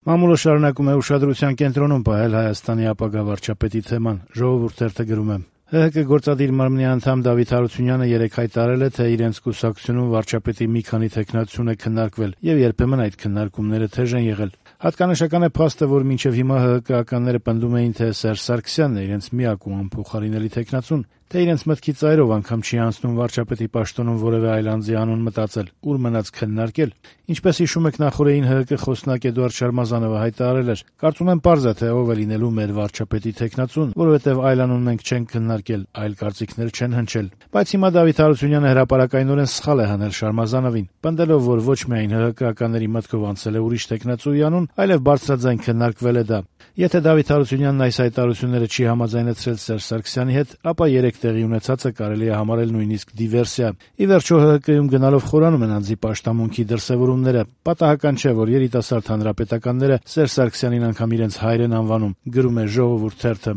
Մամուլը շարունակում է ուշադրության կենտրոնում պահել Հայաստանի ապագա վարչապետի թեման։ Ժողովուրդ թերթը գրում է. ՀՀԿ գործադիր մարմնի անդամ Դավիթ Հարությունյանը երեկ հայտարարել է, թե իրենց կուսակցությունում վարչապետի մի քանի թեկնածություն է քննարկվել, եւ երբեմն այդ քննարկումները թեժ են եղել։ Հատկանշական է փաստը, որ մինչեւ հիմա ՀՀԿ-ականները պնդում էին, թե Սերժ Սարգսյանն է իրենց միակ ու անփոխարինելի թեկնածուն, թե իրենց մտքի ծայրով անգամ չի անցնում վարչապետի պաշտոնում որևէ այլ անձի անուն մտածել, ուր մնաց քննարկել։ Ինչպես հիշում եք, նախորդին ՀՀԿ խոսնակ Էդուարդ Շարմազանովը հայտարարել էր. «Կարծում եմ պարզ է, թե ով է լինելու մեր վարչապետի թեկնածուն, որովհետև այլ անուն մենք չենք քննարկել, այլ կարծիքներ չեն հնչել»։ Բայց հիմա Դավիթ Հարությունյանը հրապարակայնորեն սխալ է հանել Շարմազանովին, պնդելով, որ ոչ միայն ՀՀԿ-ականների մտքով անցել է ուրիշ թեկնածուի անուն, այլև բարձրաձայն քննարկվել է դա։ Եթե Դավիթ Հարությունյանն այս հայտարարությունները չի համաձայնեցրել Սերժ Սարգսյանի հետ, ապա երեք տեղի ունեցածը կարելի է համարել նույնիսկ դիվերսիա։ Ի վերջո ՀՀԿ-ում գնալով խորանում են անձի պաշտամունքի դրսևորումները։ Պատահական չէ, որ երիտասարդ հանրապետականները Սերժ Սարգսյանին անգամ իրենց հայր են անվանում, գրում է Ժողովուրդ թերթը։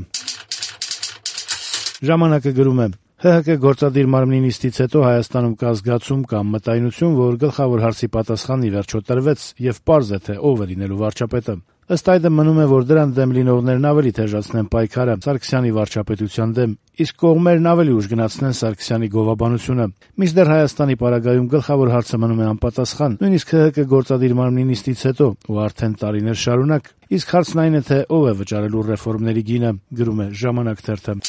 Ժամանակը գրում է. ՀՀԿ գործադիր մարմնի նիստից հետո Հայաստանում կա զգացում կամ մտայնություն, որ գլխավոր հարցի պատասխանն ի վերջո տրվեց եւ պարզ է, թե ով է լինելու վարչապետը։ Ըստ այդմ մնում է, որ դրան դեմ լինողներն ավելի թեժացնեն պայքարը Սարգսյանի վարչապետության դեմ, իսկ կողմերն ավելի ուժ գնացնեն Սարգսյանի գովաբանությունը։ Մինչդեռ Հայաստանի պարագայում գլխավոր հարցը մնում է անպատասխան, նույնիսկ ՀՀԿ գործադիր մարմնի նիստից հետո ու արդեն տարիներ շարունակ։ Իսկ հարցն այն է, թե ով է վճարելու ռեֆորմների գինը, գրում է Ժամանակ թերթը։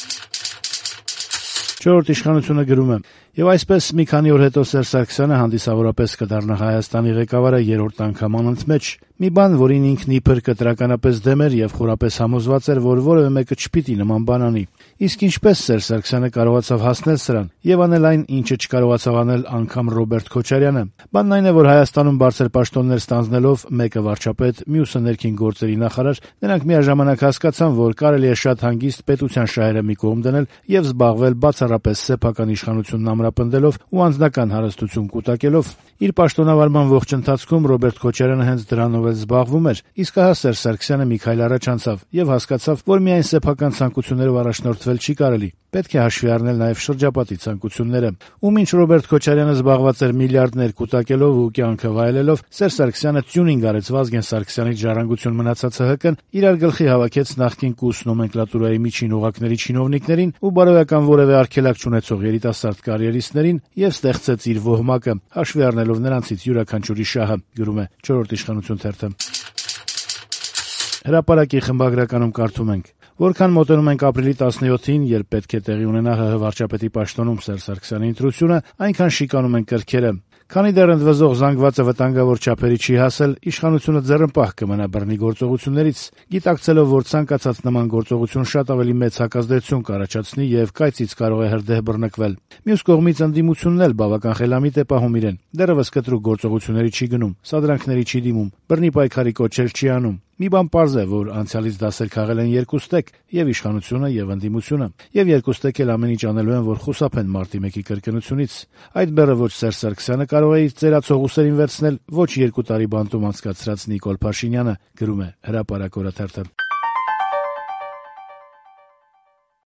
Չորրորդ իշխանությունը գրում է. «Եվ այսպես մի քանի օր հետո Սերժ Սարգսյանը հանդիսավորապես կդառնա Հայաստանի ղեկավարը երրորդ անգամ անընդմեջ։ Մի բան, որին ինքն իբր կտրականապես դեմ էր եւ խորապես համոզված էր, որ որևէ մեկը չպիտի նման բան անի։ Իսկ ինչպես Սերժ Սարգսյանը կարողացավ հասնել սրան եւ անել այն, ինչը չկարողացավ անել անգամ Ռոբերտ Քոչարյանը։ Բանն այն է, որ Հայաստանում բարձր պաշտոններ ստանձնելով, մեկը վարչապետ, մյուսը ներքին գործերի նախարար, նրանք միաժամանակ հասկացան, որ կարելի է շատ հանգիստ պետության շահերը մի կողմ դնել եւ զբաղվել բացառապես սեփական իշխանությունն ամրապնդելով ու անձնական հարստություն կուտակելով։ Իր պաշտոնավարման ողջ ընթացքում Ռոբերտ Քոչարյանը հենց դրանով էլ զբաղվում էր, իսկ ահա Սերժ Սարգսյանը մի քայլ առաջ անցավ եւ հասկացավ, որ միայն սեփական ցանկություններով առաջնորդվել չի կարելի։ Պետք է հաշվի առնել նաեւ շրջապատի ցանկությունները։ Ու մինչ Ռոբերտ Քոչարյանը զբաղված էր միլիարդներ կուտակելով ու կյանքը վայելելով, Սերժ Սարգսյանը տյունինգ արեց Վազգեն Սարգսյանի ժառանգություն մնացած ՀՀԿ-ն, իրար գլխի հավաքեց նախկին կուս նոմենկլատուրայի միջին օղակների չինովնիկներին ու բարոյական որևէ արգելակ չունեցող երիտասարդ կարիերիստներին եւ ստեղծեց իր ոհմակը, հաշվի առնելով նրանցից յուրաքանչյուրի շահը, գրում է Չորրորդ իշխանություն թերթը։ Հրապարակի խմբագրականում կարդում ենք. «Որքան մոտենում ենք ապրիլի 17-ին, երբ պետք է տեղի ունենա ՀՀ վարչապետի պաշտոնում Սերժ Սարգսյանի ընտրությունը, այնքան շիկանում են կրքերը։ Քանի դեռ ընդվզող զանգվածը վտանգավոր չափերի չի հասել, իշխանությունը ձեռնպահ կմնա բռնի գործողություններից, գիտակցելով, որ ցանկացած նման գործողություն շատ ավելի մեծ հակազդեցություն կառաջացնի եւ կայծից կարող է հրդեհ բռնկվել։ Մյուս կողմից ընդդիմությունն էլ բավական խելամիտ է պահում իրեն, դեռևս կտրուկ գործողությունների չի գնում, սադրանքների չի դիմում, բռնի պայքարի կոչեր չի անում։ Մի բան պարզ է, որ անցյալից դասեր քաղել են երկուստեք, եւ իշխանությունը եւ ընդդիմությունը, եւ երկուստեք էլ ամեն ինչ անելու են, որ խուսափեն մարտի 1-ի կրկնությունից։ Այդ բեռը ոչ Սերժ Սարգսյանը կարող է իր ծերացող ուսերին վերցնել, ոչ 2 տարի բանտում անցկացրած Նիկոլ Փաշինյանը», գրում է Հրապարակ օրաթերթը։